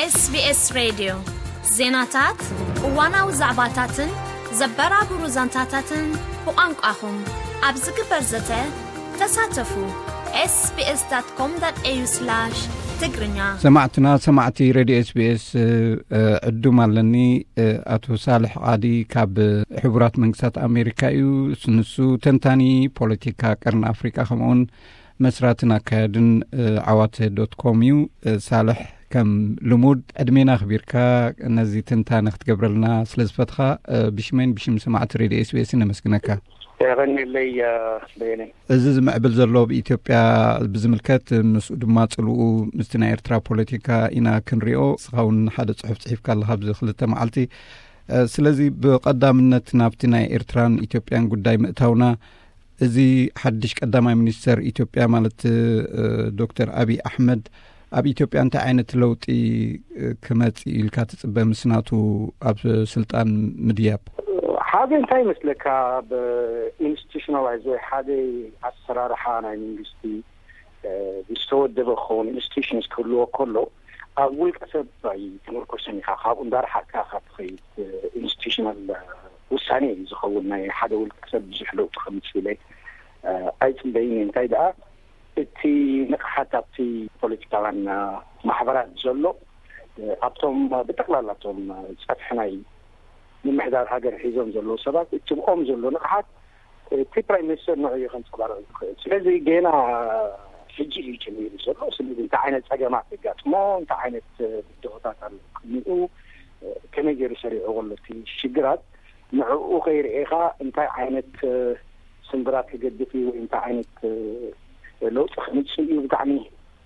SBS ሬድዮ፣ ዜናታት፣ እዋናዊ ዛዕባታትን ዘበራብሩ ዛንታታትን ብቋንቋኹም ኣብ ዝግበር ዘተ ተሳተፉ። SBS.com.au/ትግርኛ። ሰማዕትና፣ ሰማዕቲ ሬድዮ SBS፣ እ፣ ዕዱም ኣለኒ። እ፣ ኣቶ ሳልሕ ቃዲ ካብ ሕቡራት መንግስታት ኣሜሪካ እዩ። ንሱ ተንታኒ ፖለቲካ ቀርኒ ኣፍሪቃ፣ ከምኡውን መስራትን ኣካያድን፣ እ፣ ዓዋተ ዶት ኮም እዩ። እ፣ ሳልሕ፣ ከም ልሙድ ዕድሜና ኣኽቢርካ ነዚ ትንታነ ክትገብረልና ስለ ዝፈትኻ፣ እ፣ ብሽመይን ብሽም ሰማዕቲ ሬድዮ SBS ነመስግነካ። የቐንየለይ፣ እ፣ በየነ። እዚ ዝምዕብል ዘሎ ኣብ ኢትዮጵያ ብዝምልከት፣ ምስኡ ድማ ጽልኡ ምስቲ ናይ ኤርትራ ፖለቲካ ኢና ክንሪኦ። ንስኻ እውን ሓደ ጽሑፍ ጽሒፍካ ኣለኻ ኣብዚ ክልተ መዓልቲ። እ፣ ስለዚ ብቐዳምነት ናብቲ ናይ ኤርትራን ኢትዮጵያን ጉዳይ ምእታውና፣ እዚ ሓድሽ ቀዳማይ ሚኒስተር ኢትዮጵያ ማለት፣ እ፣ ዶክተር ኣቢይ ኣሕመድ ኣብ ኢትዮጵያ እንታይ ዓይነት ለውጢ፣ እ፣ ክመጽእ ኢልካ ትጽበ ምስ ናቱ ኣብ ስልጣን ምድያብ? ሓደ እንታይ ይመስለካ፣ ብኢንስቲቱሽናላይዝ ወይ ሓደ ኣሰራርሓ ናይ መንግስቲ፣ እ፣ ዝተወደበ ክኸውን፣ ኢንስቲቱሽንስ ክህልዎ ከሎ፣ ኣብ ውልቀ ሰብ ኣይትምርኮስን ኢኻ። ካብኡ እንዳረሓቅካ ኢኻ ትኸይድ። ኢንስቲቱሽናል ውሳኔ እዩ ዝኸውን። ናይ ሓደ ውልቀ ሰብ ብዙሕ ለውጢ ከምፅእ ኢለ፣ እ፣ ኣይፅበይን እየ። እንታይ ደኣ፣ እቲ ንቕሓት ኣብቲ ፖለቲካውያን፣ እ፣ ማሕበራት ዘሎ፣ እ፣ ኣብቶም ብጠቕላላ እቶም ጸፍሒ ናይ ምምሕዳር ሃገር ሒዞም ዘለዉ ሰባት፣ እቲ ብኦም ዘሎ ንቕሓት እቲ ፕራይም ሚኒስተር ንዕኡ እዩ ከንጸባርቕ ዝኽእል። ስለዚ ጌና ሕጂ እዩ ጀሚሩ ዘሎ። ስለዚ እንታይ ዓይነት ጸገማት የጋጥሞ፣ እንታይ ዓይነት ብድሆታት ኣሎ ቅድሚኡ፣ ከመይ ገይሩ ሰሪዕዎ ኣሎ እቲ ሽግራት፣ ንዕኡ ከይርኤኻ እንታይ ዓይነት ስምብራት ክገድፍ እዩ ወይ እንታይ ዓይነት ለውጢ ክምጽእ እዩ ብጣዕሚ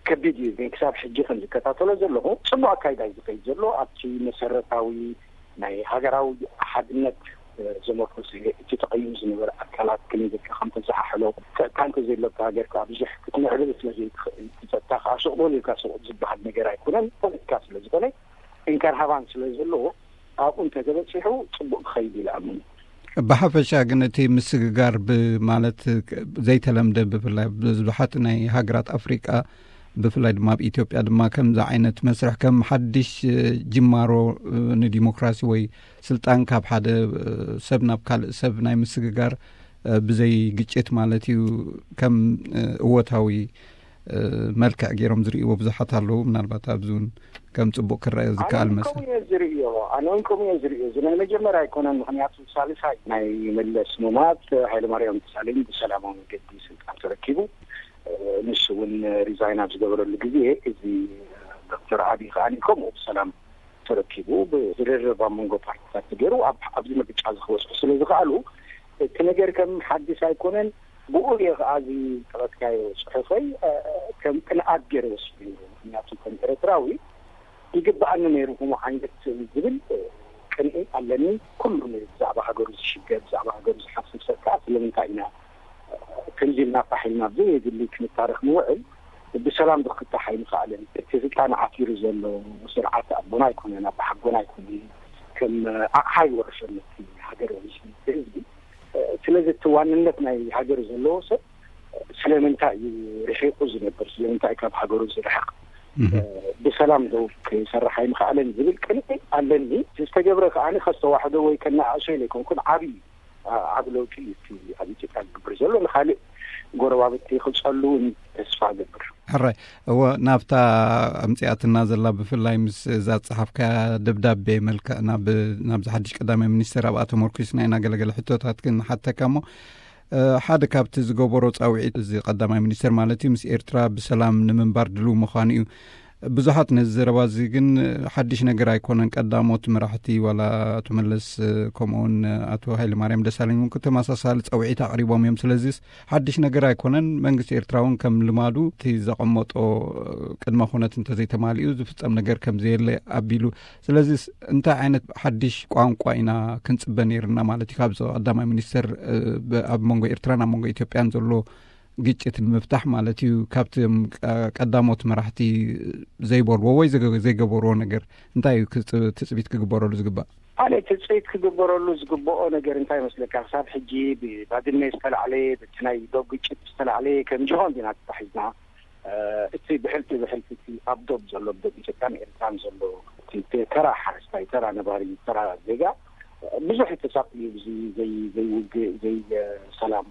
ከቢድ እዩ። ግን ክሳብ ሕጂ ከም ዝከታተሎ ዘለኹ ጽቡቕ ኣካይዳ እዩ ዝኸይድ ዘሎ። ኣብቲ መሰረታዊ ናይ ሃገራዊ ሓድነት፣ እ፣ ዘመርኮሰ እቲ ተቐይሩ ዝነበረ ኣካላት ከመይ ጌርካ ከም ተዘሓሕሎ፣ ጸጥታ እንተዘየሎ ኣብታ ሃገር ከኣ ብዙሕ ክትምዕብል ስለ ዘይትኽእል፣ እቲ ጸጥታ ከኣ ሱቕ በል ኢልካ ሱቕ ዝበሃል ነገር ኣይኮነን። ፖለቲካ ስለ ዝኾነ እንካን ሃባን ስለ ዘለዎ ኣብኡ እንተተበጺሑ ጽቡቕ ክኸይድ ኢለ እኣምን። ብሓፈሻ ግን እቲ ምስግጋር ብ-፣ ማለት ዘይተለምደ፣ ብፍላይ ብዙሓት ናይ ሃገራት ኣፍሪቃ ብፍላይ ድማ ኣብ ኢትዮጵያ ድማ ከምዚ ዓይነት መስርሕ ከም ሓድሽ፣ እ፣ ጅማሮ፣ እ፣ ንዲሞክራሲ ወይ ስልጣን ካብ ሓደ፣ እ፣ ሰብ ናብ ካልእ ሰብ ናይ ምስግጋር፣ እ፣ ብዘይ ግጭት ማለት እዩ፣ ከም፣ እ፣ እወታዊ፣ እ፣ መልክዕ ገይሮም ዝርእይዎ ብዙሓት ኣለዉ። ምናልባት ኣብዚ እውን ከም ጽቡቕ ክረአ ዝከኣል ኣነ እውን መሰል። ከምኡ እየ ዝርእዮ። ኣነ እውን ከምኡ እየ ዝርእዮ። እዚ ናይ መጀመርያ ኣይኮነን። ምኽንያቱ ሳልሳይ ናይ መለስ ምሟት፣ ሃይለማርያም ደሳለኝ ብሰላማዊ መገዲ ስልጣን ተረኪቡ። ንሱ እውን ሪዛይን ኣብ ዝገበረሉ ግዜ፣ እዚ ዶክተር ኣቢይ ከኣ ከምኡ ብሰላም ተረኪቡ፣ ብዝርርብ ኣብ መንጎ ፓርቲታት ተገይሩ ኣብ፣ ኣብዚ ምርጫ እዚ ክበጽሑ ስለ ዝኸኣሉ፣ እቲ ነገር ከም ሓድሽ ኣይኮነን። ብኡ እየ ከኣ እዚ ዝጠቐስካዮ ጽሑፈይ፣ እ፣ ከም ቅንኣት ገይረ ወሲደ ነይረ። ምኽንያቱ ከም ኤርትራዊ ይግብኣኒ ነይሩ ከምኡ ዓይነት ዝብል፣ እ፣ ቅንኢ ኣለኒ። ኩሉ ብዛዕባ ሃገሩ ዝሽገር፣ ብዛዕባ ሃገሩ ዝሓስብ ሰብ ከኣ ስለምንታይ ኢና፣ እ፣ ከምዚ ኢልና ፋሕ ኢልና ኣብ ዘየድሊ ክንታረኽ ንውዕል? ብሰላም ዶ ክፍታሕ ኣይምኸኣለን? እቲ ስልጣን ዓቲሩ ዘሎ ስርዓት ኣቦና ኣይኮነን፣ ኣቦሓጎና ኣይኮነን። ከም ኣቕሓ ይወርሰን ነቲ ሃገር ወይ ነቲ ህዝቢ። ስለዚ እቲ ዋንነት ናይ ሃገር ዘለዎ ሰብ ስለምንታይ እዩ ርሒቑ ዝነብር? ስለምንታይ ካብ ሃገሩ ዝርሕቕ? እህ። ብሰላም ዶ ክሰርሕ ኣይምኸኣለን ዝብል ቅንኢ ኣለኒ። ዝተገብረ ከኣ ከስተዋሕዶ ወይ ከነኣእሶ ኢለ ኣይኮንኩን፣ ዓብዪ ዓ-፣ ዓቢ ለውጢ እዩ እቲ ኣብ ኢትዮጵያ ዝግበር ዘሎ። ንኻልእ ጎረባብቲ ክጸሉ እውን ተስፋ እገብር። ሕራይ፣ እወ፣ ናብታ ኣምጺኣትና ዘላ፣ ብፍላይ ምስ እዛ ዝጸሓፍካያ ደብዳቤ መልክዕ ናብ፣ ናብዚ ሓድሽ ቀዳማይ ሚኒስተር ኣብኣ ተመርኩስና ኢና ገለገለ ሕቶታት ክንሓተካ እሞ፣ እ፣ ሓደ ካብቲ ዝገበሮ ጻውዒት፣ እዚ ቀዳማይ ሚኒስተር ማለት እዩ፣ ምስ ኤርትራ ብሰላም ንምንባር ድሉው ምዃኑ እዩ። ብዙሓት ነዚ ዘረባ እዚ ግን ሓድሽ ነገር ኣይኮነን። ቀዳሞት መራሕቲ ዋላ ኣቶ መለስ፣ ከምኡውን ኣቶ ሃይለማርያም ደሳለኝ እውን ተመሳሳሊ ጸውዒት ኣቕሪቦም እዮም። ስለዚስ ሓድሽ ነገር ኣይኮነን። መንግስቲ ኤርትራ እውን ከም ልማዱ እቲ ዘቐመጦ ቅድመ ኩነት እንተዘይተማሊኡ ዝፍጸም ነገር ከም ዘየለ ኣቢሉ። ስለዚስ እንታይ ዓይነት ሓድሽ ቋንቋ ኢና ክንጽበ ነይርና ማለት እዩ? ካብዚ ቀዳማይ ሚኒስተር፣ ብ-፣ ኣብ መንጎ ኤርትራን ኣብ መንጎ ኢትዮጵያን ዘሎ ግጭት ንምፍታሕ ማለት እዩ፣ ካብቶም ቀ-፣ ቀዳሞት መራሕቲ ዘይበልዎ ወይ ዘገ-፣ ዘይገበርዎ ነገር እንታይ እዩ ክጽ-፣ ትጽቢት ክግበረሉ ዝግባእ? ኣነ ትጽቢት ክግበረሉ ዝግብኦ ነገር እንታይ ይመስለካ? ክሳብ ሕጂ ብባድመ ዝተላዕለ፣ በቲ ናይ ዶብ ግጭት ዝተላዕለ ከም ጅሆ እንዲና ተታሒዝና። እቲ ብሕልፊ ብሕልፊ እቲ ኣብ ዶብ ዘሎ፣ ኣብ ዶብ ኢትዮጵያን ኤርትራን ዘሎ እቲ ተራ ሓረስታይ፣ ተራ ነባሪ፣ ተራ ዜጋ ብዙሕ ተሳቅዩ፣ ዘይውግእ፣ ዘይሰላም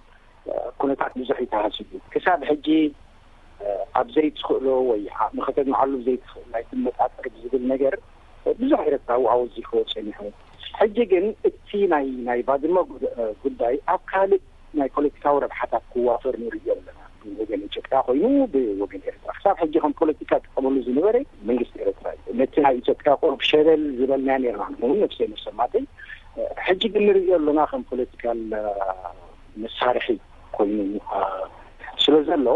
ኩነታት ብዙሕ ይተሃስዩ። ክሳብ ሕጂ ኣብ ዘይትኽእሎ ወይ ዓቕሚ ከተግምዓሉ ዘይትኽእል ኣይትመጣጠር ብዝብል ነገር ብዙሕ ኤርትራዊ ኣወዚኽዎ ጸኒሑ። ሕጂ ግን እቲ ናይ ናይ ባድመ ጉዳይ ኣብ ካልእ ናይ ፖለቲካዊ ረብሓታት ክዋፈር ንርእዮ ኣለና። ብወገን ኢትዮጵያ ኮይኑ፣ ብወገን ኤርትራ ክሳብ ሕጂ ከም ፖለቲካ ጥቀመሉ ዝነበረ መንግስቲ ኤርትራ እዩ። ነቲ ናይ ኢትዮጵያ ቁሩብ ሸለል ዝበልና ኔርና ንኸውን ነፍሰይ መሰማተይ። ሕጂ ግን ንርእዮ ኣለና ከም ፖለቲካል መሳርሒ ኮይኑ ስለ ዘሎ፣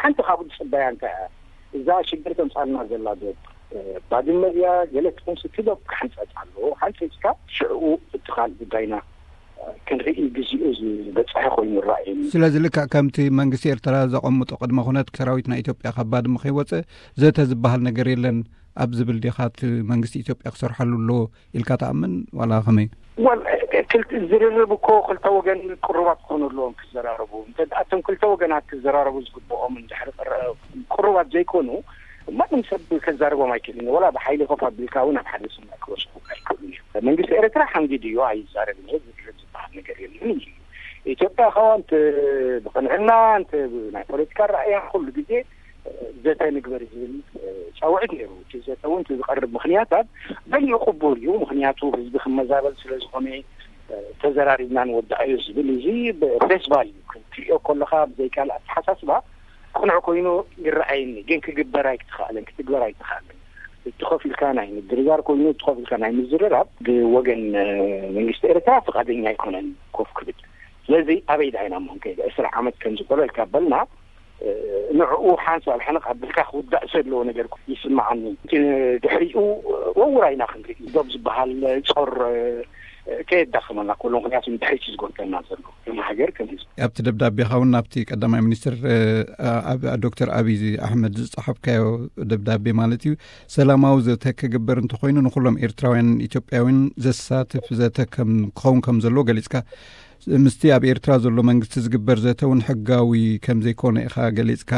ሓንቲ ካብኡ ዝጽበያ እንታይ እያ? እዛ ሽግር ተምጻልና ዘላ ዶ ባድመ እያ? ገለ ትኹን ስቲ ዶ ክሕንጸጽ ኣለዎ። ሓንጺጽካ ሽዕኡ እቲ ካልእ ጉዳይና ክንርኢ ግዜኡ ዝበጽሐ ኮይኑ ይረኣየኒ። ስለዚ ልክዕ ከምቲ መንግስቲ ኤርትራ ዘቐምጦ ቅድመ ኩነት ሰራዊት ናይ ኢትዮጵያ ካብ ባድመ ከይወጽእ ዘተ ዝበሃል ነገር የለን ኣብ ዝብል ዲኻ እቲ መንግስቲ ኢትዮጵያ ክሰርሓሉ ኣለዎ ኢልካ ትኣምን ዋላ ከመይ? ወል፣ ክልተ ዝርርብ እኮ ክልተ ወገን ቅሩባት ክኾኑ ኣለዎም ክዘራረቡ። እንተ ደኣ እቶም ክልተ ወገናት ክዘራረቡ ዝግብኦም እንድሕር ቅረ-፣ ቅሩባት ዘይኮኑ፣ ማንም ሰብ ከዛርቦም ኣይክእልን። ወላ ብሓይሊ ኮፍ ኣቢልካ እውን ኣብ ሓደ ስምዕ ክወስዱ ኣይክእሉን እዮም። መንግስቲ ኤርትራ ሓንጊዱ እዩ፣ ኣይዛረብን እየ፣ ዝርርብ ዝበሃል ነገር የለን እዩ። ኢትዮጵያ ከዋ እንተ ብቕንዕና፣ እንተ ናይ ፖለቲካ ራእያ ኩሉ ግዜ ዘተ ንግበር ዝብል ጻውዒት ነይሩ። እቲ ዘተ እውን እቲ ዝቐርብ ምኽንያታት በሊኡ ቅቡል እዩ። ምኽንያቱ ህዝቢ ክመዛበል ስለ ዝኾነ፣ ተዘራሪብና ንወዳእዮ ዝብል እዚ ፌስቲቫል እዩ። ክትሪኦ ከለኻ ብዘይ ካልእ ኣተሓሳስባ ቅኑዕ ኮይኑ ይረኣየኒ፣ ግን ክግበር ኣይተኻእለን፣ ክትግበር ኣይተኻእለን። እቲ ኮፍ ኢልካ ናይ ምድርዳር ኮይኑ፣ እቲ ኮፍ ኢልካ ናይ ምዝርራብ ብወገን መንግስቲ ኤርትራ ፍቓደኛ ኣይኮነን ኮፍ ክብል። ስለዚ ኣበይ ዳይና እሞ ከይደ ዕስራ ዓመት ከም ዝበለልካ በልና፣ ንዕኡ ሓንሳብ ሕንቕ ኣቢልካ ክውዳእ ዘለዎ ነገር ይስምዓኒ። ድሕሪኡ ወውራ ኢና ክንርኢ። ዶብ ዝበሃል ጾር ከየዳኽመና ከሎ፣ ምኽንያቱ ንድሕሪት እዩ ዝጎተና ዘሎ፣ ከም ሃገር፣ ከም ህዝቢ። ኣብቲ ደብዳቤኻ እውን ናብቲ ቀዳማይ ሚኒስትር፣ እ፣ ኣብ-፣ ዶክተር ኣብይ ኣሕመድ ዝጸሓፍካዮ ደብዳቤ ማለት እዩ፣ ሰላማዊ ዘተ ክግበር እንተኾይኑ ንኹሎም ኤርትራውያን ኢትዮጵያውያን ዘሳትፍ ዘተ ከም ክኸውን ከም ዘለዎ ገሊጽካ፣ ምስቲ ኣብ ኤርትራ ዘሎ መንግስቲ ዝግበር ዘተ እውን ሕጋዊ ከም ዘይኮነ ኢኻ ገሊጽካ።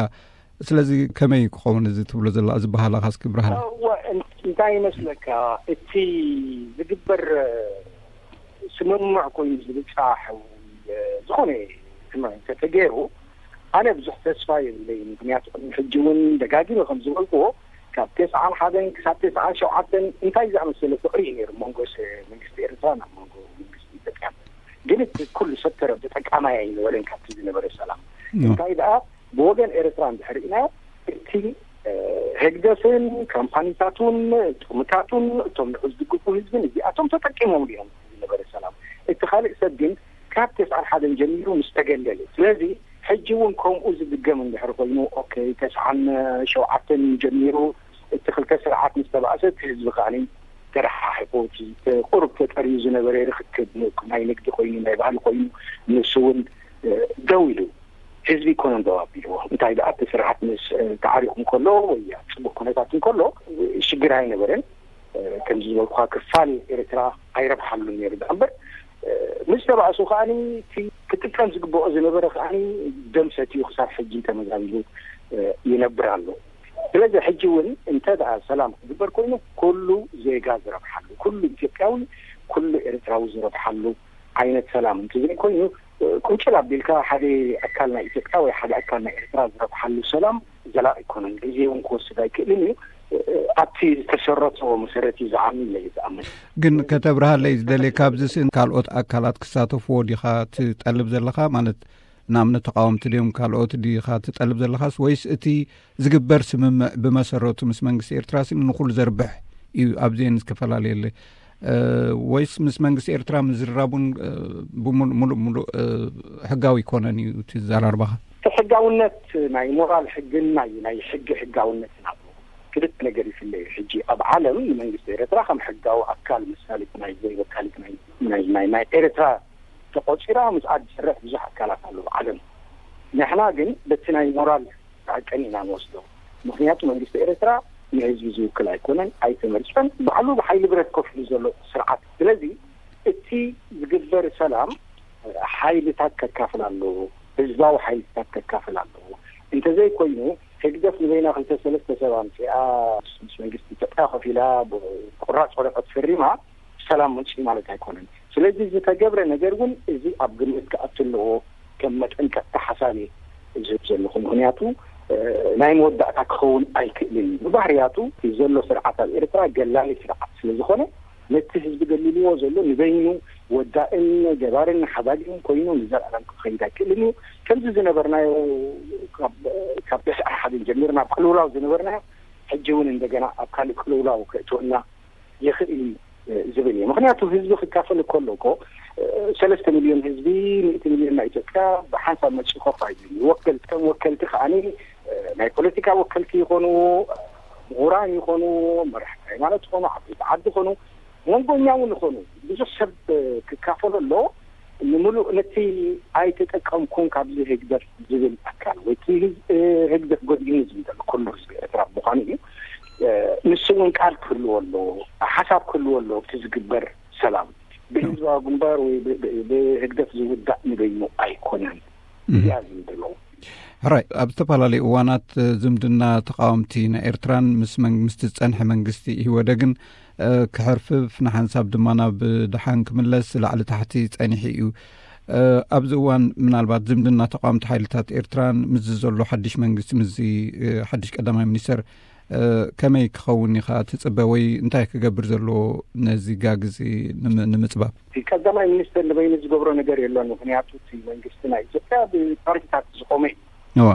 ስለዚ ከመይ ክኸውን እዚ ትብሎ ዘለኻ፣ እዚ በሃላኻ እስኪ ብርሃን? እወ፣ እን-፣ እንታይ ይመስለካ፣ እቲ ዝግበር ስምምዕ ኮይኑ ዝብጻሕ ወይ ዝኾነ ስምምዕ እንተተገይሩ፣ ኣነ ብዙሕ ተስፋ የብለይን። ምኽንያቱ ቅድሚ ሕጂ እውን ደጋጊመ ከም ዝበልክዎ፣ ካብ ተስዓን ሓደን ክሳብ ተስዓን ሸውዓተን እንታይ ዝኣመሰለ ፍቕሪ እዩ ነይሩ መንጎ ስ-፣ መንግስቲ ኤርትራን ኣብ መንጎ መንግስቲ ኢትዮጵያ። ግን እቲ ኩሉ ሰብ ተረ-፣ ተጠቃማይ ኣይነበረን ካብቲ ዝነበረ ሰላም። እም። እንታይ ደኣ ብወገን ኤርትራ እንድሕር ርኢናዮ፣ እቲ፣ እ፣ ህግደፍን ካምፓኒታቱን ጥቕምታቱን እቶም ንዑ ዝድግፉ ህዝብን እዚኣቶም ተጠቂሞም እዮም ዝነበረ ሰላም። እቲ ካልእ ሰብ ግን ካብ ተስዓን ሓደን ጀሚሩ ምስ ተገለለ። ስለዚ ሕጂ እውን ከምኡ ዝድገም እንድሕር ኮይኑ፣ ኦኬ፣ ተስዓን ሸውዓተን ጀሚሩ እቲ ክልተ ስርዓት ምስ ተባእሰ፣ እቲ ህዝቢ ከኣኒ ተረሓሒቑ፣ እቲ ቁሩብ ተጠርዩ ዝነበረ ርክክብ፣ ናይ ንግዲ ኮይኑ፣ ናይ ባህሊ ኮይኑ፣ ንሱ እውን፣ እ፣ ደው ኢሉ። ህዝቢ ኣይኮነን ደው ኣቢልዎ። እንታይ ደኣ፣ እቲ ስርዓት ምስ፣ እ፣ ተዓሪቑ እንከሎ ወይ ኣብ ጽቡቕ ኩነታት እንከሎ፣ እ፣ ሽግር ኣይነበረን። እ፣ ከምዚ ዝበልኩኻ፣ ክፋል ኤርትራ ኣይረብሓሉን ነይሩ። ደኣ እምበር፣ እ፣ ምስ ተባእሱ ከኣኒ፣ እቲ ክጥቀም ዝግብኦ ዝነበረ ከኣኒ ደም ሰትዩ ክሳብ ሕጂ ተመዛቢሉ፣ እ፣ ይነብር ኣሎ። ስለዚ ሕጂ እውን እንተ ደኣ ሰላም ክግበር ኮይኑ፣ ኩሉ ዜጋ ዝረብሓሉ፣ ኩሉ ኢትዮጵያዊ፣ ኩሉ ኤርትራዊ ዝረብሓሉ ዓይነት ሰላም እንተዘይኮይኑ፣ ቁንጭል ኣቢልካ ሓደ ኣካል ናይ ኢትዮጵያ ወይ ሓደ ኣካል ናይ ኤርትራ ዝረብሓሉ ሰላም ዘላቂ ኣይኮነን። ግዜ እውን ክወስድ ኣይክእልን እዩ። ኣብቲ ዝተሰረቶ መሰረት እዩ ዝዓኑ ኢለ እየ ዝኣምን። ግን ከተብርሃለይ ዝደልየ፣ ካብዚ ስእን ካልኦት ኣካላት ክሳተፍዎ ዲኻ ትጠልብ ዘለኻ? ማለት ንኣብነት ተቃወምቲ ድዮም ካልኦት ዲኻ ትጠልብ ዘለኻስ፣ ወይስ እቲ ዝግበር ስምምዕ ብመሰረቱ ምስ መንግስቲ ኤርትራ ስኒ ንኹሉ ዘርብሕ እዩ፣ ኣብዚኤን ዝተፈላለየለ፣ እ፣ ወይስ ምስ መንግስቲ ኤርትራ ምዝርራቡን፣ እ፣ ብሙሉ-፣ ሙሉእ ሙሉእ፣ እ፣ ሕጋዊ ይኮነን እዩ እቲ ዘራርባኻ? እቲ ሕጋውነት ናይ ሞራል ሕግን ናይ፣ ናይ ሕጊ ሕጋውነትን ኣሎ። ክልተ ነገር ይፍለ እዩ። ሕጂ ኣብ ዓለም ንመንግስቲ ኤርትራ ከም ሕጋዊ ኣካል መሳሊት ናይ ወይ ወካሊት ናይ፣ ናይ፣ ናይ፣ ናይ ኤርትራ ተቆጺራ ምስኣ ዝሰርሕ ብዙሕ ኣካላት ኣሎ ኣብ ዓለም። ንሕና ግን በቲ ናይ ሞራል ሓቀን ኢና ንወስዶ። ምኽንያቱ መንግስቲ ኤርትራ ንህዝቢ ዝውክል ኣይኮነን፣ ኣይተመርጸን። ባዕሉ ብሓይሊ ብረት ኮፍ ኢሉ ዘሎ ስርዓት። ስለዚ እቲ ዝግበር ሰላም ሓይልታት ከካፍል ኣለዎ፣ ህዝባዊ ሓይልታት ከካፍል ኣለዎ። እንተዘይኮይኑ ህግደፍ ንበይና ክልተ ሰለስተ ሰብ ኣምፅኣ ምስ መንግስቲ ኢትዮጵያ ኮፍ ኢላ ብቁራፅ ወረቀት ፈሪማ ሰላም መፅኡ ማለት ኣይኮነን። ስለዚ ዝተገብረ ነገር እውን እዚ ኣብ ግምት ክኣቱ ኣለዎ። ከም መጠንቀቅታ ሓሳብ እየ ዝህብ ዘለኹ። ምክንያቱ ናይ መወዳእታ ክኸውን ኣይክእልን እዩ። ብባህርያቱ ዘሎ ስርዓት ኣብ ኤርትራ ገላሊ ስርዓት ስለዝኾነ ነቲ ህዝቢ ገሊልዎ ዘሎ ንበይኑ ወዳእን ገባርን ሓዳግን ኮይኑ ንዘለኣለም ክኸይድ ኣይክእልን እዩ። ከምዚ ዝነበርናዮ ካብ ተስዓ ሓደን ጀሚርና ኣብ ቅልውላው ዝነበርናዮ ሕጂ እውን እንደገና ኣብ ካልእ ቅልውላው ከእትወና ይኽእል እዩ ዝብል እየ። ምክንያቱ ህዝቢ ክካፈል ከሎ እኮ ሰለስተ ሚልዮን ህዝቢ፣ ሚእቲ ሚልዮን ናይ ኢትዮጵያ ብሓንሳብ መፂኡ ኮፍ ኣይብል። ወከልቲ ከም ወከልቲ ከዓኒ ናይ ፖለቲካ ወከልቲ ይኾኑ፣ ምሁራን ይኾኑ፣ መራሕቲ ሃይማኖት ይኾኑ፣ ዓበይቲ ዓዲ ይኾኑ፣ መንጎኛ እውን ይኾኑ፣ ብዙሕ ሰብ ክካፈሎ ኣሎ። ንምሉእ ነቲ ኣይተጠቀምኩን ካብዚ ህግደፍ ዝብል ኣካል ወይ እቲ ህግደፍ ጎዲእኒ ዝብል ዘሎ ኩሉ ህዝቢ ኤርትራ ምዃኑ እዩ። ንሱ እውን ቃል ክህልዎ ኣለዎ፣ ሓሳብ ክህልዎ ኣለዎ። እቲ ዝግበር ሰላም ብህዝባዊ ግንባር ወይ ብህግደፍ ዝውዳእ ንበይኑ ኣይኮነን። እዚኣ ዝብል ኣለዎ። ሕራይ ኣብ ዝተፈላለዩ እዋናት ዝምድና ተቃወምቲ ናይ ኤርትራን ምስ ምስቲ ዝጸንሐ መንግስቲ ኢህወደግን ክሕርፍፍ ንሓንሳብ ድማ ናብ ደሓን ክምለስ ላዕሊ ታሕቲ ጸኒሑ እዩ። ኣብዚ እዋን ምናልባት ዝምድና ተቃወምቲ ሓይልታት ኤርትራን ምስዚ ዘሎ ሓድሽ መንግስቲ ምስዚ ሓድሽ ቀዳማይ ሚኒስተር ከመይ ክኸውን ኢኻ ትጽበ ወይ እንታይ ክገብር ዘለዎ ነዚ ጋግ እዚ ንምጽባብ? እቲ ቀዳማይ ሚኒስተር ንበይኑ ዝገብሮ ነገር የሎን። ምክንያቱ እቲ መንግስቲ ናይ ኢትዮጵያ ብፓርቲታት ዝቆመ እዩ። እዋ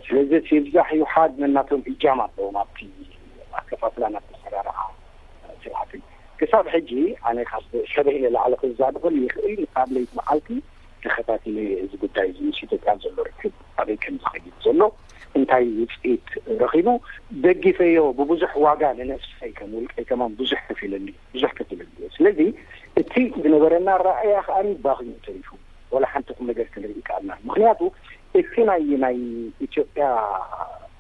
ስለዚ እቲ ይብዛሕ ይውሓድ ነናቶም እጃም ኣለዎም ኣብቲ ኣከፋፍላ ናብ ኣሰራርሓ ስርዓትን። ክሳብ ሕጂ ኣነ ካብ ሰበይ ንላዕሊ ክዛረበሉ ይኽእል። ካብ ለይቲ መዓልቲ ተኸታቲለ እዚ ጉዳይ እዚ ምስ ኢትዮጵያ ዘሎ ርክብ ኣበይ ከም ዝኸይድ ዘሎ እንታይ ውፅኢት ረኺቡ ደጊፈዮ ብብዙሕ ዋጋ ንነፍሰይ ከም ውልቀይ ከማን ብዙሕ ከፊለሉ ብዙሕ ከፊለሉ። ስለዚ እቲ ዝነበረና ራእያ ከኣ ባኽዩ ተሪፉ ወላ ሓንቲ ቁም ነገር ክንርኢ ይከኣልና። ምክንያቱ እቲ ናይ ናይ ኢትዮጵያ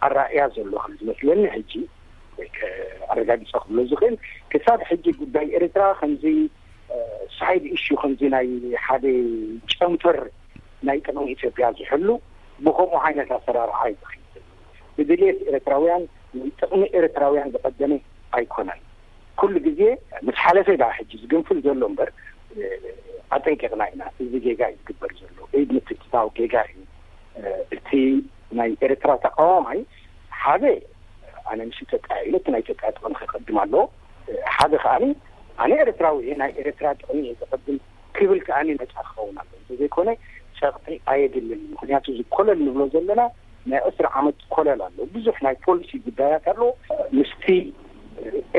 ኣራእያ ዘሎ ከም ዝመስለኒ ሕጂ ወይ ኣረጋግፀ ክብሎ ዝኽእል ክሳብ ሕጂ ጉዳይ ኤርትራ ከምዚ ሳይድ ኢሹ ከምዚ ናይ ሓደ ጨንፈር ናይ ጥቕሚ ኢትዮጵያ ዝሕሉ ብከምኡ ዓይነት ኣሰራርሓ እዩ ዝኸይድ። ብድልየት ኤርትራውያን ጥቕሚ ኤርትራውያን ዝቐደመ ኣይኮነን። ኩሉ ግዜ ምስ ሓለፈ ዳ ሕጂ ዝግንፍል ዘሎ እምበር ኣጠንቂቕና ኢና። እዚ ጌጋ እዩ ዝግበር ዘሎ። ኢድ ምትእትታው ጌጋ እዩ። እቲ ናይ ኤርትራ ተቃዋማይ ሓደ ኣነ ምስ ኢትዮጵያ ኢለ እቲ ናይ ኢትዮጵያ ጥቕሚ ከቀድም ኣለዎ። ሓደ ከዓኒ ኣነ ኤርትራዊ እየ፣ ናይ ኤርትራ ጥቕሚ እየ ዘቐድም ክብል ከዓኒ ነፃ ክኸውን ኣለዎ። እንተዘይኮነ ጸቕጢ ኣየድልን። ምክንያቱ እዚ ኮለል ንብሎ ዘለና ናይ ዕስራ ዓመት ኮለል ኣሎ። ብዙሕ ናይ ፖሊሲ ጉዳያት ኣሎ። ምስቲ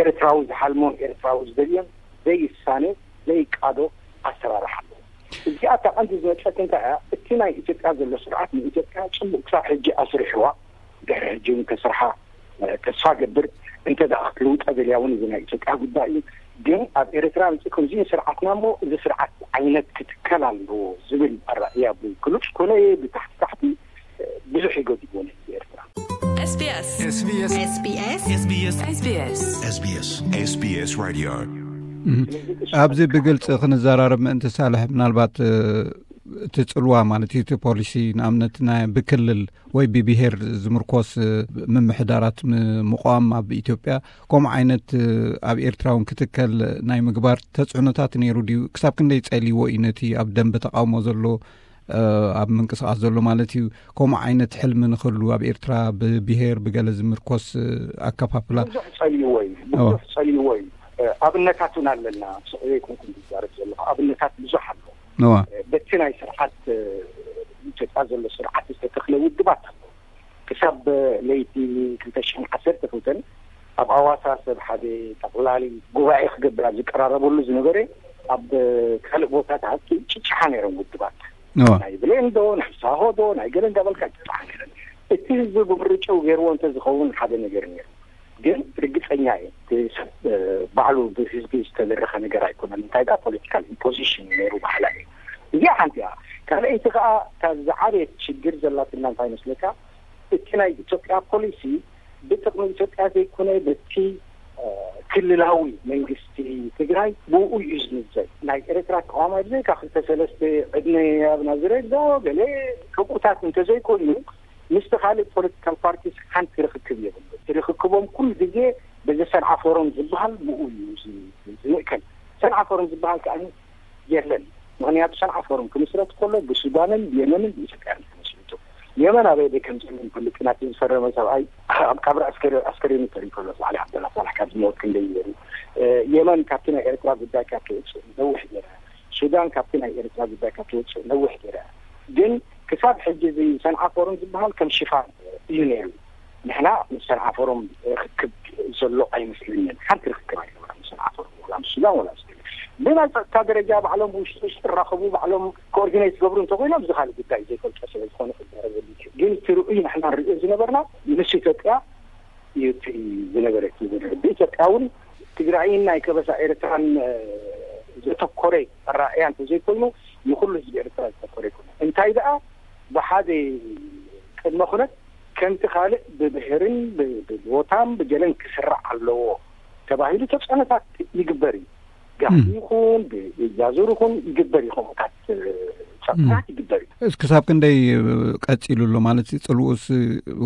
ኤርትራዊ ዝሓልሞን ኤርትራዊ ዝደልዮን ዘይሳነ ዘይቃዶ ኣሰራርሓ ኣሎ። እዚኣ እታ ቀንዲ ዝመፀት እንታይ እያ? እቲ ናይ ኢትዮጵያ ዘሎ ስርዓት ንኢትዮጵያ ፅቡቅ ክሳብ ሕጂ ኣስሪሕዋ ድሕሪ ሕጂ እውን ከስርሓ ተስፋ ገብር። እንተ ደኣ ክትልውጠ ደልያ እውን እዚ ናይ ኢትዮጵያ ጉዳይ እዩ። ግን ኣብ ኤርትራ ምፅእ ከምዚ ስርዓትና እሞ እዚ ስርዓት ዓይነት ክትከል ኣለዎ ዝብል ኣራእያ ብግሉፅ ኮነ ብታሕቲ ታሕቲ ብዙሕ ይገድዎ ነቲ ኤርትራ። SBS SBS SBS SBS SBS SBS Radio ኣብዚ ብግልፂ ክንዘራረብ ምእንቲ ሳልሕ ምናልባት እቲ ፅልዋ ማለት እዩ እቲ ፖሊሲ ንኣብነት ናይ ብክልል ወይ ብብሄር ዝምርኮስ ምምሕዳራት ምቋም ኣብ ኢትዮጵያ ከምኡ ዓይነት ኣብ ኤርትራ እውን ክትከል ናይ ምግባር ተፅዕኖታት ነይሩ ድዩ? ክሳብ ክንደይ ፀሊዎ እዩ ነቲ ኣብ ደንበ ተቃውሞ ዘሎ ኣብ ምንቅስቃስ ዘሎ ማለት እዩ? ከምኡ ዓይነት ሕልሚ ንክህሉ ኣብ ኤርትራ ብብሄር ብገለ ዝምርኮስ ኣከፋፍላ ብዙሕ ፀሊዎ እዩ። ብዙሕ ፀሊዎ እዩ። ኣብነታት እውን ኣለና። ስቕ ዘይኮንኩ ዝዛረብ ዘለኹ ኣብነታት ብዙሕ ኣሎ። በቲ ናይ ስርዓት ኢትዮጵያ ዘሎ ስርዓት ዝተተኽለ ውድባት ኣሎ። ክሳብ ለይቲ ክልተ ሽሕን ዓሰርተ ክልተን ኣብ ኣዋሳ ሰብ ሓደ ጠቕላሊ ጉባኤ ክገብር ኣብ ዝቀራረበሉ ዝነበረ ኣብ ካልእ ቦታታት ጭጭሓ ነይሮም ውድባት ናይ ብሌንዶ ናይ ሳሆዶ ናይ ገለ እንዳበልካ ጭጭሓ ነይረን። እቲ ህዝቢ ብምርጭው ገይርዎ እንተዝኸውን ሓደ ነገር ነይሩ። ግን ርግፀኛ እየ እቲ ሰብ ባዕሉ ብህዝቢ ዝተደረኸ ነገር ኣይኮነን። እንታይ ዳ ፖለቲካል ኢምፖዚሽን ነይሩ ባዕላ እዩ። እዚኣ ሓንቲ እያ። ካልኣይቲ ከዓ እታ ዝዓበየት ሽግር ዘላትና እንታይ መስለካ? እቲ ናይ ኢትዮጵያ ፖሊሲ ብጥቕሚ ኢትዮጵያ ዘይኮነ በቲ ክልላዊ መንግስቲ ትግራይ ብኡ እዩ ዝምዘን። ናይ ኤርትራ ተቃዋማይ ብዘይካ ክልተ ሰለስተ ዕድመ ኣብ ናዝሬት ዶ ገለ ከምኡታት እንተዘይኮይኑ ምስቲ ካልእ ፖለቲካል ፓርቲስ ሓንቲ ርክክብ የብሉ። እቲ ርክክቦም ኩሉ ግዜ በዚ ሰንዓ ፎረም ዝበሃል ብኡ እዩ ዝ- ዝምእከል። ሰንዓ ፎረም ዝበሃል ከኣ የለን። ምኽንያቱ ሰንዓ ፎረም ክምስረት ከሎ ብሱዳንን ብየመንን ብኢትዮጵያን ተመስሪቱ። የመን ኣበይ ደይ ከም ዘሎ ንፈልጥ ኢና። እቲ ዝፈረመ ሰብኣይ ኣብ ቀብሪ ኣስከሬ- ኣስከሬኑ ተሪፉ ኣሎ። ሳልሕ ዓብደላ ሳልሕ ካብ ዝሞት ክንደይ ይበሉ። የመን ካብቲ ናይ ኤርትራ ጉዳይ ካብ ትወፅእ ነዊሕ ገይራ፣ ሱዳን ካብቲ ናይ ኤርትራ ጉዳይ ካብ ትወፅእ ነዊሕ ገይራ። ግን ክሳብ ሕጂ እዚ ሰንዓ ፎረም ዝበሃል ከም ሽፋን እዩ ነይሩ። ንሕና ምስ ሰንዓ ፎረም ርክክብ ዘሎ ኣይመስለንን። ሓንቲ ርክክብ ኣይነበረን ምስ ሰንዓ ፎረም፣ ወላ ምስ ሱዳን ወላ ምስ ብናይ ጸጥታ ደረጃ ባዕሎም ብውሽጢ ውሽጢ ክራኸቡ፣ ባዕሎም ኮኦርዲኔት ዝገብሩ እንተኮይኖም፣ እዚ ካልእ ጉዳይ፣ ዘይፈልጦ ስለ ዝኾነ ክዛረበሉ ይችል። ግን እቲ ርኡይ ንሕና ንሪኦ ዝነበርና ምስ ኢትዮጵያ እዩ እቲ ዝነበረ፣ እቲ ዝነበረ። ብኢትዮጵያ እውን ትግራይን ናይ ከበሳ ኤርትራን ዘተኮረ ኣረኣእያ እንተዘይኮይኑ፣ ንኩሉ ህዝቢ ኤርትራ ዘተኮረ ይኮነ። እንታይ ደኣ፣ ብሓደ ቅድመ ኩነት ከምቲ ካልእ ብብሄርን ብ- ብቦታን ብገለን ክስራዕ ኣለዎ ተባሂሉ ተፅዕኖታት ይግበር እዩ። ጋህዲ ይኹን ብኢጃዙር ይኹን ይግበር እዩ፣ ከምኡታት ፀጥታት ይግበር እዩ። እስ ክሳብ ክንደይ ቀፂሉ ኣሎ ማለት እዩ? ፅልኡስ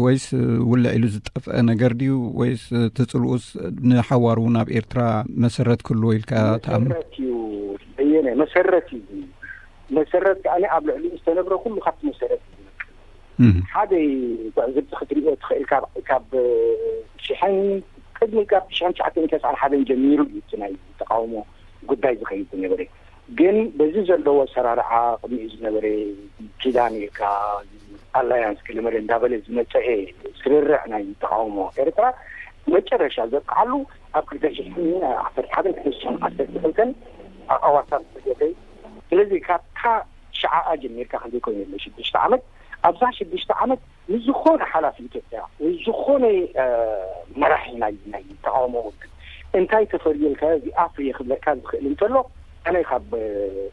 ወይስ ውልዕ ኢሉ ዝጠፍአ ነገር ድዩ? ወይስ እቲ ፅልኡስ ንሓዋሩ ናብ ኤርትራ መሰረት ክህልዎ ኢልካ ትኣምን? መሰረት እዩ። በየነ መሰረት እዩ። መሰረት ከኣ ኣብ ልዕሊኡ ዝተነብረ ኩሉ ካብቲ መሰረት እዩ ዝነቅል። ሓደ ትዕዝብቲ ክትሪኦ ትኽእል። ካብ ካብ ሽሕን ቅድሚ ካብ ሽሕን ትሽዓተ ሚእትን ተስዓን ሓደን ጀሚሩ እዩ እቲ ናይ ተቃውሞ ጉዳይ ዝኸይድ ዝነበረ። ግን በዚ ዘለዎ ኣሰራርዓ፣ ቅድሚኡ ዝነበረ ኪዳን ኢልካ ኣላያንስ ገለመለ እንዳበለ ዝመፀአ ስርርዕ ናይ ተቃውሞ ኤርትራ መጨረሻ ዘብቅዓሉ ኣብ ክልተ ሽሕን ዓሰርተ ሓደን ክልተ ሽሕን ዓሰርተ ክልተን ኣብ ኣዋሳት ዝገብረ። ስለዚ ካብታ ሽዓኣ ጀሚርካ ክንደይ ኮይኑ ኣሎ ሽዱሽተ ዓመት፣ ኣብዛ ሽዱሽተ ዓመት ንዝኾነ ሓላፊ ኢትዮጵያ ወይ ዝኾነ መራሒ ናይ ናይ ተቃውሞ ውድብ እንታይ ተፈርየልካ እዚ ኣፍርየ ክብለካ ዝኽእል እንተሎ፣ ኣነ ካብ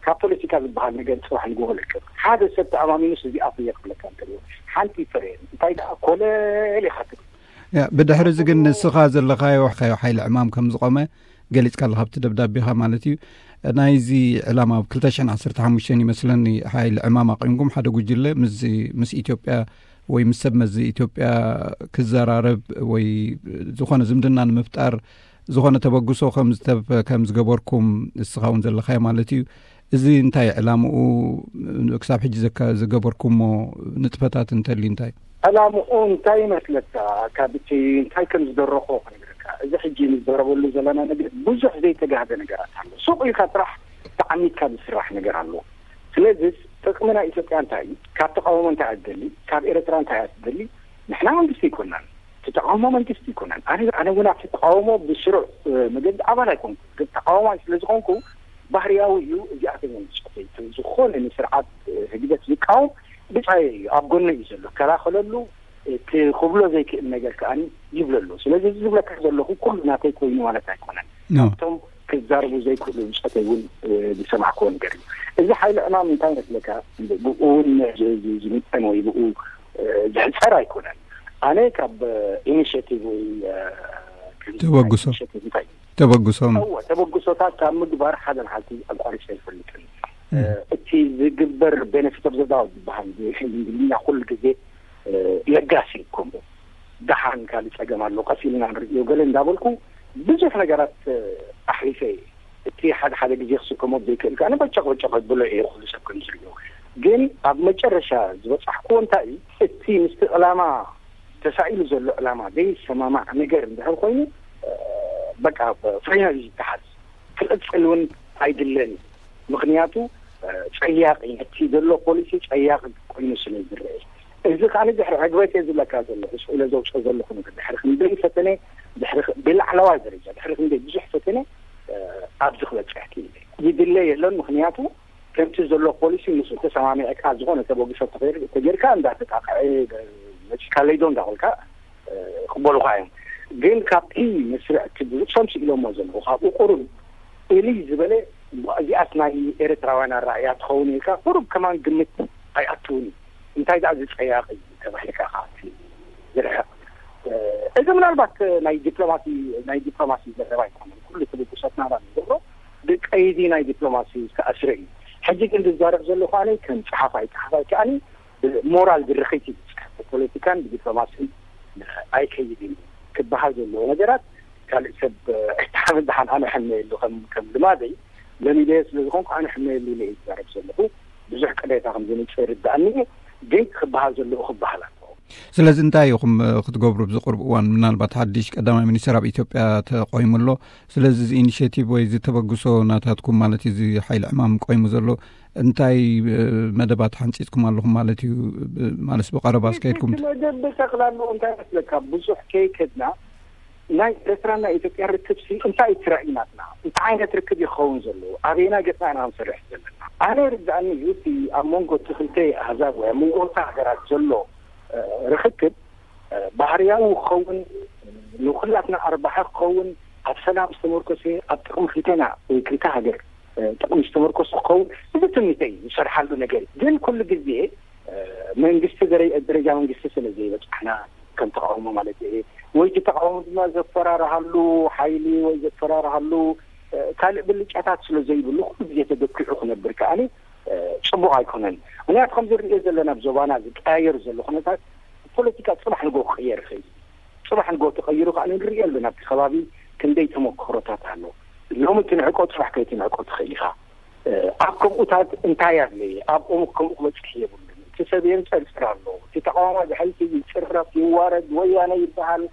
ካብ ፖለቲካ ዝበሃል ነገር ጽባሕ ንግሆ ለቅቕ። ሓደ ሰብ ተኣማሚኑስ እዚ ኣፍርየ ክብለካ እንተሎ ሓንቲ ይፈረየኒ። እንታይ ደኣ ኮለል ኢኻ ትብል። ያ፣ ብድሕሪ እዚ ግን ንስኻ ዘለኻዮ ሓይሊ ዕማም ከም ዝቆመ ገሊጽካ ኣለኻ ኣብቲ ደብዳቤኻ ማለት እዩ። ናይዚ ዕላማ ኣብ ክልተ ሽሕን ዓሰርተ ሓሙሽተን ይመስለኒ ሓይሊ ዕማም ኣቂምኩም ሓደ ጉጅለ ምስ ምስ ኢትዮጵያ ወይ ምስ ሰብ መዚ ኢትዮጵያ ክዘራረብ ወይ ዝኾነ ዝምድና ንምፍጣር ዝኾነ ተበግሶ ከም ዝተብ- ከም ዝገበርኩም ንስኻ እውን ዘለኻዮ ማለት እዩ። እዚ እንታይ ዕላምኡ ክሳብ ሕጂ ዘካ- ዝገበርኩሞ ንጥፈታት እንተልዩ እንታይ? ዕላምኡ እንታይ ይመስለካ? ካብ እቲ እንታይ ከም ዝደረኾ ክነግረካ። እዚ ሕጂ ንዘረበሉ ዘለና ነገር ብዙሕ ዘይተጋህደ ነገራት ኣሎ። ሱቕ ኢልካ ጥራሕ ተዓሚትካ ዝስራሕ ነገር ኣሎ። ስለዚ ጥቕሚ ናይ ኢትዮጵያ እንታይ እዩ? ካብ ተቃውሞ እንታይ እያ ትደሊ? ካብ ኤርትራ እንታይ እያ ትደሊ? ንሕና መንግስቲ ኣይኮናን። እቲ ተቃውሞ መንግስቲ ኣይኮነን። ኣነ ኣነ እውን ኣብቲ ተቃውሞ ብስሩዕ መገዲ ኣባል ኣይኮንኩ፣ ግን ተቃዋማይ ስለ ዝኾንኩ ባህርያዊ እዩ። እዚኣተኛ ንስዕተይ ዝኾነ ንስርዓት ህግደፍ ዝቃወም ብጻየ እዩ፣ ኣብ ጎነ እዩ ዘሎ፣ ከላኸለሉ። እቲ ክብሎ ዘይክእል ነገር ከኣ ይብለሉ። ስለዚ እዚ ዝብለካ ዘለኹ ኩሉ ናተይ ኮይኑ ማለት ኣይኮነን። ካብቶም ክዛርቡ ዘይክእሉ ብጾተይ እውን ዝሰማዕክዎ ነገር እዩ። እዚ ሓይሊ ዕማም እንታይ መስለካ? ብኡ እውን ዝምጠን ወይ ብኡ ዝሕጸር ኣይኮነን። ኣነ ካብ ኢኒሽቲቭ ወይ ተበግሶ ኢኒሽቲቭ እንታይ ተበግሶም እወ ተበግሶታት ካብ ምግባር ሓደ መዓልቲ ኣቋሪፀ ኣይፈልጥን። እቲ ዝግበር ቤነፊት ኦፍ ዘዳውት ዝበሃል ብእንግሊዝኛ ኩሉ ግዜ ለጋሲ እዩ። ከምኡ ደሓን ካልእ ጸገም ኣሎ ቀስ ኢልና ንርእዮ ገለ እንዳበልኩ ብዙሕ ነገራት ኣሕሊፈ እየ። እቲ ሓደ ሓደ ግዜ ክስከሞ ዘይክእል ከኣ በጨቕ በጨቕ ብሎ እየ ኩሉ ሰብ ከም ዝርእዮ። ግን ኣብ መጨረሻ ዝበጻሕክዎ እንታይ እዩ? እቲ ምስቲ ዕላማ ተሳኢሉ ዘሎ ዕላማ ዘይሰማማዕ ነገር እንድሕር ኮይኑ በቃ ፋይናል እዩ ዝተሓዝ። ክቕጽል እውን ኣይድለን እዩ። ምኽንያቱ ጸያቒ ነቲ ዘሎ ፖሊሲ ጸያቒ ኮይኑ ስለ ዝረአ እዚ ከዓ ድሕሪ ዕግበት እየ ዝብለካ ዘለኹ። ስኢለ ዘውፅኦ ዘለኹ ነገር ድሕሪ ክንደይ ፈተነ ድሕሪ ብላዕለዋይ ደረጃ ድሕሪ ክንደይ ብዙሕ ፈተነ ኣብዚ ክበፅሕ ክኢለ። ይድለ የለን ምኽንያቱ ከምቲ ዘሎ ፖሊሲ ምስ ተሰማሚዕካ ዝኾነ ተበግሶ ተገይርካ እንዳተጣቕዐ መፂካ ለይዶ እንዳበልካ ክበሉኻ እዮም። ግን ካብቲ መስርዕ እቲ ብዝቕሶም ስኢሎሞ ዘለዉ ካብኡ ቁሩብ እልይ ዝበለ እዚኣስ ናይ ኤርትራውያን ኣረኣእያ ትኸውን ኢልካ ቁሩብ ከማን ግምት ኣይኣትውን እዩ። እንታይ ደኣ ዝፀያቕ እዩ ተባሂልካ ካብቲ ዝርሕቕ እዚ ምናልባት ናይ ዲፕሎማሲ ናይ ዲፕሎማሲ ዘረባ ኣይኮነን። ኩሉ ትብግሶትና ንገብሮ ብቀይዲ ናይ ዲፕሎማሲ ዝተኣስረ እዩ። ሕጂ ግን ዝዛረብ ዘለኹ ኣነ ከም ፀሓፋይ ፀሓፋይ ከኣኒ ሞራል ዝርኺት እዩ ዝፅሕፍ። ብፖለቲካን ብዲፕሎማስን ኣይከይድን እዩ ክበሃል ዘለዎ ነገራት ካልእ ሰብ ኣይተሓመል ደሓን ኣነ ሕመየሉ ከም ከም ልማደይ ለሚደዮ ስለ ዝኾንኩ ኣነ ሕመየሉ ኢለ እየ ዝዛረብ ዘለኹ። ብዙሕ ቅሬታ ከም ዝምፅእ ይርዳእኒ እዩ፣ ግን ክበሃል ዘለዎ ክበሃል ኣለዎ። ስለዚ እንታይ ኢኹም ክትገብሩ ኣብዚ ቅርብ እዋን? ምናልባት ሓድሽ ቀዳማይ ሚኒስትር ኣብ ኢትዮጵያ ተቆይሙ ኣሎ። ስለዚ እዚ ኢኒሽቲቭ ወይ እዚ ተበግሶ ናታትኩም ማለት እዩ፣ እዚ ሓይሊ ዕማም ቆይሙ ዘሎ እንታይ መደባት ሓንፂፅኩም ኣለኹም ማለት እዩ? ማለት ብቀረባ እስከ ኢልኩም ት- መደብ ጠቅላሉ እንታይ መስለካ ብዙሕ ከይከድና ናይ ኤርትራና ኢትዮጵያ ርክብ ሲ እንታይ ትራእይናትና እንታይ ዓይነት ርክብ ይኸውን ዘለዎ ኣበይና ገፅና ኢና ክንሰርሕ ዘለና? ኣነ ርዳእኒ እዩ እቲ ኣብ መንጎ እቲ ክልተ ኣህዛብ ወይ ኣብ መንጎ ክልተ ሃገራት ዘሎ ርክክብ ባህርያዊ ክኸውን ንኩላትና ኣርባሒ ክኸውን ኣብ ሰላም ዝተመርኮሰ ኣብ ጥቕሚ ክልተና ወይ ክልተ ሃገር ጥቕሚ ዝተመርኮሰ ክኸውን እዚ ትምኒተይ ዝሰርሓሉ ነገር እዩ። ግን ኩሉ ግዜ መንግስቲ ደረጃ መንግስቲ ስለ ዘይበፅሕና ከም ተቃውሞ ማለት እዩ ወይ እቲ ተቃውሞ ድማ ዘፈራርሃሉ ሓይሊ ወይ ዘፈራርሃሉ ካልእ ብልጫታት ስለ ዘይብሉ ኩሉ ግዜ ተደኪዑ ክነብር ከዓኒ ፅቡቅ ኣይኮነን። ምክንያቱ ከም ዝርዮ ዘለና ኣብ ዞባና ዝቀያየር ዘሎ ኩነታት ፖለቲካ ፅባሕ ንጎ ክቅየር ይኽእል። ፅባሕ ንጎ ተቀይሩ ከዓ ንሪኦ ኣለና ኣብቲ ከባቢ ክንደይ ተመክሮታት ኣሎ። ሎሚ ትንዕቆ ፅባሕ ከይትንዕቆ ትኽእል ኢኻ። ኣብ ከምኡታት እንታይ ኣድለየ ኣብኦም ከምኡ ክበፅሕ የብሉን። እቲ ሰብ የንፀርፅር ኣሎ። እቲ ተቃዋማ ብሕልፊ ይፅረፍ ይዋረድ ወያነ ይበሃል፣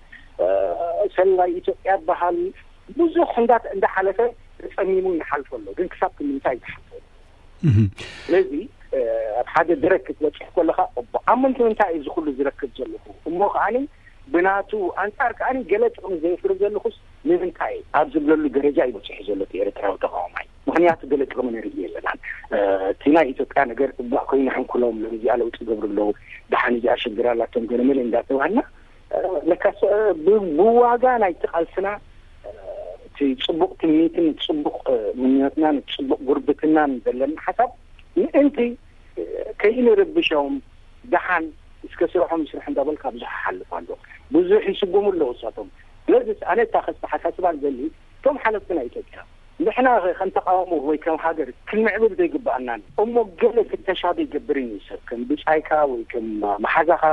ሰላይ ኢትዮጵያ ይበሃል። ብዙሕ እንዳ እንዳሓለፈ ተፀሚሙ ይሓልፎ ኣሎ። ግን ክሳብ ክንምንታይ ዝሓልፎ ስለዚ ኣብ ሓደ ደረክ ክትበፅሕ ከለካ ኣብ ምንታይ እዚ ኩሉ ዝረክብ ዘለኹ እሞ ከዓኒ ብናቱ ኣንፃር ከዓኒ ገለ ጥቕሚ ዘየፍሪ ዘለኹስ ንምንታይ ኣብ ዝብለሉ ደረጃ እዩ በፂሑ ዘሎ እቲ ኤርትራዊ ተቃዋማይ። ምክንያቱ ገለ ጥቕሚ ንርኢ የለናን። እቲ ናይ ኢትዮጵያ ነገር እባእ ኮይኑ ሕንኩሎም ነዚኣ ለውጢ ገብሩ ኣለዉ። ደሓን እዚኣ ሽግር ኣላቶም ገለመለ እንዳተባሃልና ለካስ ብዋጋ ናይቲ ቃልስና እቲ ፅቡቕ ትምኒትን ፅቡቕ ምንዮትናን ፅቡቕ ጉርብትናን ዘለና ሓሳብ ምእንቲ ከይንርብሾም ደሓን እስከ ስርሖም ይስርሑ እንዳበልካ ብዙሕ ይሓልፍ ኣሎ። ብዙሕ ይስጉሙ ኣለዉ እሳቶም። ስለዚ ኣነ እታ ከስተሓሳስባ ዝደሊ እቶም ሓለፍቲ ናይ ኢትዮጵያ ንሕና ከም ተቃውሞ ወይ ከም ሃገር ክንምዕብል ዘይግበኣናን እሞ ገለ ፍተሻ ዘይገብርን እዩ ሰብ ከም ብጻይካ ወይ ከም መሓዛኻ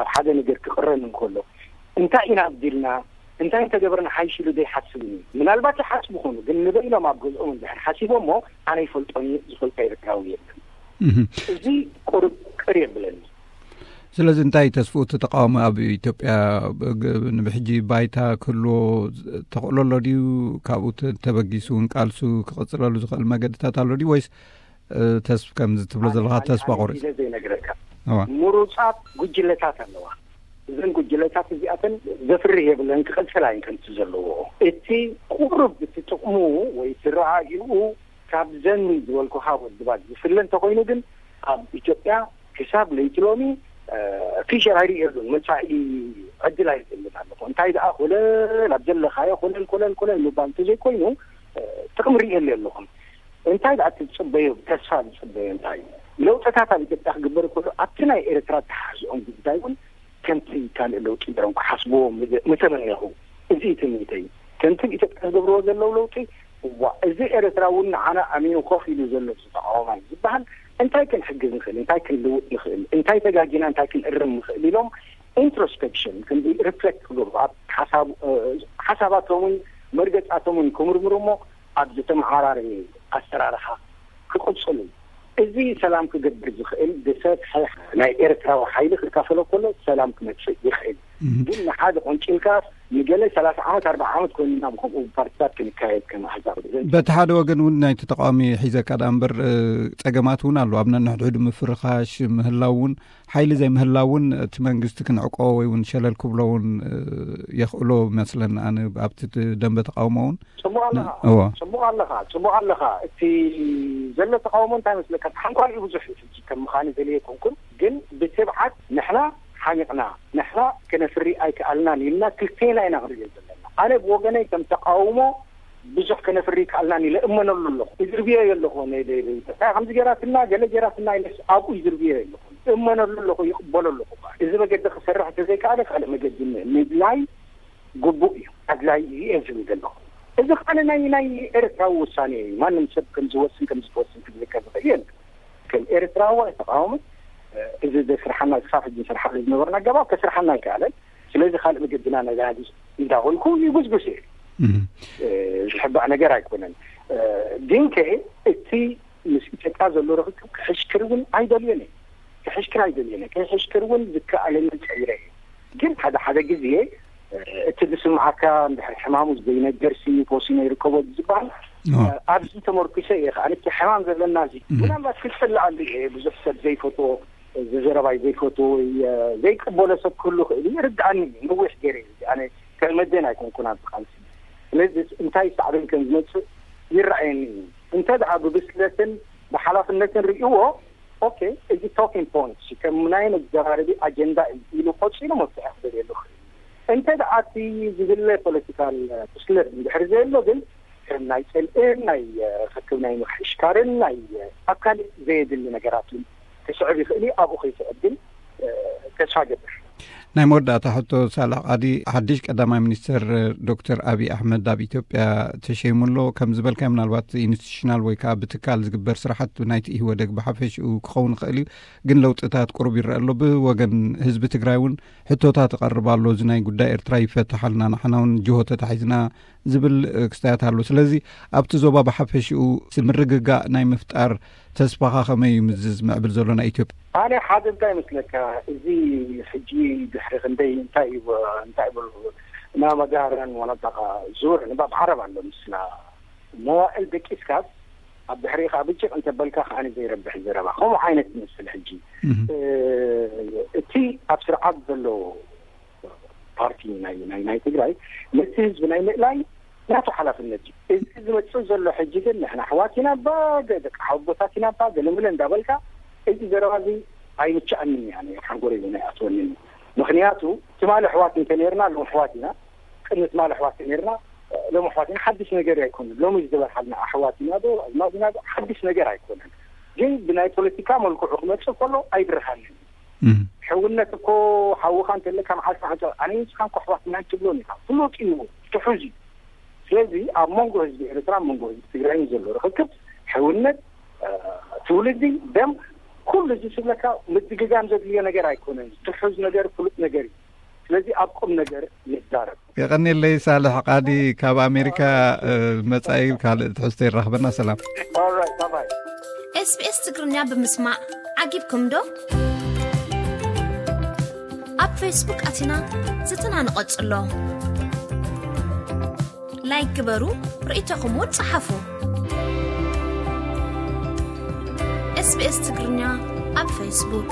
ኣብ ሓደ ነገር ክቕረን እንከሎ እንታይ ኢና ኣጉዲልና እንታይ እንተገበርና ሓይሽ ኢሉ ዘይሓስብን እዩ። ምናልባት ይሓስቡ ይኾኑ ግን ንበይኖም ኣብ ገዝኦም እንድሕር ሓሲቦሞ ኣነ ይፈልጦን እዩ ዝፈልጦ ኤርትራዊ የለን። እዚ ቁርብ ቅር የብለኒ። ስለዚ እንታይ ተስፍኡ እቲ ተቃውሞ ኣብ ኢትዮጵያ ንብሕጂ ባይታ ክህልዎ ተኽእሎ ኣሎ ድዩ? ካብኡ ተበጊሱ እውን ቃልሱ ክቕፅለሉ ዝኽእል መገድታት ኣሎ ድዩ ወይስ ተስፍ ከምዚ ትብሎ ዘለካ ተስፋ ቆሪፅ ዘይነግረካ ምሩፃት ጉጅለታት ኣለዋ። እዘን ጉጅለታት እዚኣተን ዘፍርህ የብለን ክቐፅላ እየን ከምቲ ዘለዎ። እቲ ቁሩብ እቲ ጥቕሙ ወይ እቲ ረኣይኡ ካብዘን ዝበልኩኻ ውድባት ዝፍለ እንተኮይኑ ግን ኣብ ኢትዮጵያ ክሳብ ለይቲ ሎሚ ፊሸር ኣይርእየሉን መፃኢ ዕድል ኣይርእየሉን ኣለኹ። እንታይ ደኣ ኮለል ኣብ ዘለኻዮ ኮለል ኮለል ኮለል ምባል እንተዘይኮይኑ ጥቕሚ ርእየሉ የለኹም። እንታይ ደኣ እቲ ዝፅበዮ ተስፋ ዝፅበዮ እንታይ እዩ? ለውጥታት ኣብ ኢትዮጵያ ክግበር ከሎ ኣብቲ ናይ ኤርትራ ተሓዝኦም ጉዳይ እውን ከምቲ ካልእ ለውጢ ገይሮም ክሓስብዎ ምተመነኹ። እዚ እዩ ትምኒተይ። ከምቲ ኣብ ኢትዮጵያ ዝገብርዎ ዘለዉ ለውጢ እዋ እዚ ኤርትራ እውን ንዓና ኣሚኑ ኮፍ ኢሉ ዘሎ ተቃዋማይ ዝበሃል እንታይ ክንሕግዝ ንኽእል እንታይ ክንልውጥ ንኽእል እንታይ ተጋጊና እንታይ ክንእርም ንኽእል ኢሎም ኢንትሮስፔክሽን ክንዲ ሪፍሌክት ክገብሩ ኣብ ሓሳባቶምን መርገፃቶምን ክምርምሩ እሞ ኣብ ዝተመዓራረየ ኣሰራርሓ ክቕፅሉ እዚ ሰላም ክገብር ዝኽእል ዝሰፍሐ ናይ ኤርትራዊ ሓይሊ ክካፈሎ ከሎ ሰላም ክመፅእ ይኽእል። ግን ንሓደ ቆንጭልካ ንገለ ሰላሳ ዓመት ኣርባዓ ዓመት ኮይኑና ከምኡ ፓርቲታት ክንካየድ ከም ኣሕዛብ በቲ ሓደ ወገን እውን ናይቲ ተቃዋሚ ሒዘካ ደኣ እምበር ፀገማት እውን ኣለዉ ኣብ ነንሕድሕዱ ምፍርኻሽ ምህላው እውን ሓይሊ ዘይምህላው እውን እቲ መንግስቲ ክንዕቆ ወይ እውን ሸለል ክብሎ እውን የኽእሎ ይመስለኒ ኣነ ኣብቲ ደንበ ተቃውሞ እውን ጽቡቕ ኣለኻ እዎ ጽቡቕ ኣለኻ ጽቡቕ ኣለኻ እቲ ዘሎ ተቃውሞ እንታይ መስለካ ሓንኳል እዩ ብዙሕ ሕጂ ከም ምዃኑ ዘልየ ኣይኮንኩን ግን ብትብዓት ንሕና ሓሚቕና ንሕና ከነፍሪ ኣይከኣልናን ኢልና ክልቴና ኢና ክንሪኦ ዘለና ኣነ ብወገነይ ከም ተቃውሞ ብዙሕ ከነፍሪ ይከኣልናን ኢለ እመነሉ ኣለኹ። ይዝርብዮ ኣለኹ። እንታይ ከምዚ ገይራትና ገለ ገይራትና ኢለስ ኣብኡ ይዝርብዮ ኣለኹ። እመነሉ ኣለኹ፣ ይቕበሎ ኣለኹ። እዚ መገዲ ክሰርሕ እንተዘይከኣለ ካልእ መገዲ ምድላይ ግቡእ እዩ፣ ኣድላይ እዩ እየ ዝብል ዘለኹ። እዚ ከዓ ናይ ናይ ኤርትራዊ ውሳኔ እዩ። ማንም ሰብ ከም ዝወስን ከም ዝወስን ክብለካ ዝኽእል የለን። ከም ኤርትራዊ ኣይተቃወምን። እዚ ዘስርሓና ክሳብ ሕጂ ንሰርሓሉ ዝነበርና ኣገባብ ከስርሓና ኣይከኣለን። ስለዚ ካልእ መገድና ነጋዲ እንዳበልኩ ይጉስጉስ እየ። ዝሕባእ ነገር ኣይኮነን። ግን ከ እቲ ምስ ኢትዮጵያ ዘሎ ርክብ ክሕሽክር እውን ኣይደልዮን እየ። ክሕሽክር ኣይደልዮን እየ። ክሕሽክር እውን ዝከኣለኒ ጸይረ እየ። ግን ሓደ ሓደ ግዜ እቲ ዝስምዓካ እንድሕር ሕማሙ ዘይነገር ሲ ፖሲኖ ይርከቦ ዝበሃል ኣብዚ ተመርኩሰ እየ። ከኣ እቲ ሕማም ዘለና እዚ ምናልባት ክጸልኣሉ እየ። ብዙሕ ሰብ ዘይፈትዎ፣ ዝዘረባይ ዘይፈትዎ ወይ ዘይቀበሎ ሰብ ክህሉ ክእል እዩ። ይርድኣኒ እዩ። ነዊሕ ገይረ እዩ። ኣነ ከም መደን ኣይኮንኩን ኣብዚ ቃልሲ። ስለዚ እንታይ ሳዕቤን ከም ዝመጽእ ይረኣየኒ እዩ። እንተ ደኣ ብብስለትን ብሓላፍነትን ርእይዎ፣ ኦኬ፣ እዚ ቶኪንግ ፖይንት ከም ናይ መዘራረቢ ኣጀንዳ እዩ ኢሉ ቆጺሉ መፍትሒ ክደልየሉ ክእል። እንተ ደኣ እቲ ዝድለ ፖለቲካል ብስለት እንድሕር ዘየሎ ግን ከም ናይ ጽልእን ናይ ርክብ ናይ ምሕሽካርን ናይ ኣካል ዘየድሊ ነገራትን ክስዕብ ይኽእል እዩ። ኣብኡ ከይስዕብ ግን ተስፋ ገብር። ናይ መወዳእታ ሕቶ ሳልሕ ቃዲ፣ ሓድሽ ቀዳማይ ሚኒስትር ዶክተር ኣብይ ኣሕመድ ኣብ ኢትዮጵያ ተሸይሙ ኣሎ። ከም ዝበልካዮ ምናልባት ኢንስቲቱሽናል ወይ ከዓ ብትካል ዝግበር ስራሓት ናይቲ ኢህወደግ ብሓፈሽኡ ክኸውን ይኽእል እዩ። ግን ለውጥታት ቁሩብ ይረአ ኣሎ። ብወገን ህዝቢ ትግራይ እውን ሕቶታት ይቐርብ ኣሎ። እዚ ናይ ጉዳይ ኤርትራ ይፈታሓልና፣ ንሕና እውን ጅሆ ተታሒዝና ዝብል ክስታያት ኣሎ። ስለዚ ኣብቲ ዞባ ብሓፈሽኡ ምርግጋእ ናይ ምፍጣር ተስፋኻ ከመይ እዩ ምዝዝ ምዕብል ዘሎ ናይ ኢትዮጵያ? ኣነ ሓደ እንታይ ይመስለካ፣ እዚ ሕጂ ድሕሪ ክንደይ እንታይ እዩ፣ እንታይ ይበሉ፣ ናብ መጋረን ወነጠቃ ዙር ንባብ ዓረብ ኣሎ ምስላ መዋእል ደቂስካስ ኣብ ድሕሪኻ ብጭቕ እንተበልካ ከኣ ዘይረብሕ ዘረባ ከምኡ ዓይነት ይመስል። ሕጂ እቲ ኣብ ስርዓት ዘሎ ፓርቲ ናይ ናይ ናይ ትግራይ ነቲ ህዝቢ ናይ ምእላይ ናቱ ሓላፍነት እዩ። እዚ ዝመጽእ ዘሎ ሕጂ ግን ንሕና ኣሕዋት ኢና ባ፣ ደቂ ሓወቦታት ኢና ባ፣ ገለመለ እንዳበልካ እዚ ዘረባ እዚ ኣይምችኣንን እያ፣ ሓንጎለይ እውን ኣይኣትወንን። ምኽንያቱ ትማሊ ኣሕዋት እንተነርና ሎም ኣሕዋት ኢና፣ ቅድሚ ትማሊ ኣሕዋት ነርና፣ ሎም ኣሕዋት ኢና። ሓድሽ ነገር ኣይኮነን። ሎሚ ዝተበርሓልና ኣሕዋት ኢና ዶ ኣዝማድ ኢና ዶ ሓድሽ ነገር ኣይኮነን። ግን ብናይ ፖለቲካ መልክዑ ክመጽእ ከሎ ኣይብርሃንን። ሕውነት እኮ ሓውኻ እንተለካ መዓልቲ ሓንተ ኣነ ንስኻን ኮሕዋት ናይ ትብሎን ኢኻ። ፍሉጥ እዩ፣ ትሑዝ እዩ። ስለዚ ኣብ መንጎ ህዝቢ ኤርትራ መንጎ ህዝቢ ትግራይን ዘሎ ርክክብ ሕውነት፣ ትውልዲ፣ ደም፣ ኩሉ እዚ ስብለካ ምድግጋም ዘድልዮ ነገር ኣይኮነን። ትሑዝ ነገር ፍሉጥ ነገር እዩ። ስለዚ ኣብ ቁም ነገር ንዛረብ። የቐኔለይ ሳልሕ ቃዲ ካብ ኣሜሪካ። መጻኢ ካልእ ትሕዝቶ ይራኽበና። ሰላም። ኤስቢኤስ ትግርኛ ብምስማዕ ዓጊብኩም ዶ? ኣብ ፌስቡክ ኣቲና ዝትና ንቐጽሎ። ላይክ ግበሩ፣ ርእይቶኹም እውን ጸሓፉ። ኤስቢኤስ ትግርኛ ኣብ ፌስቡክ።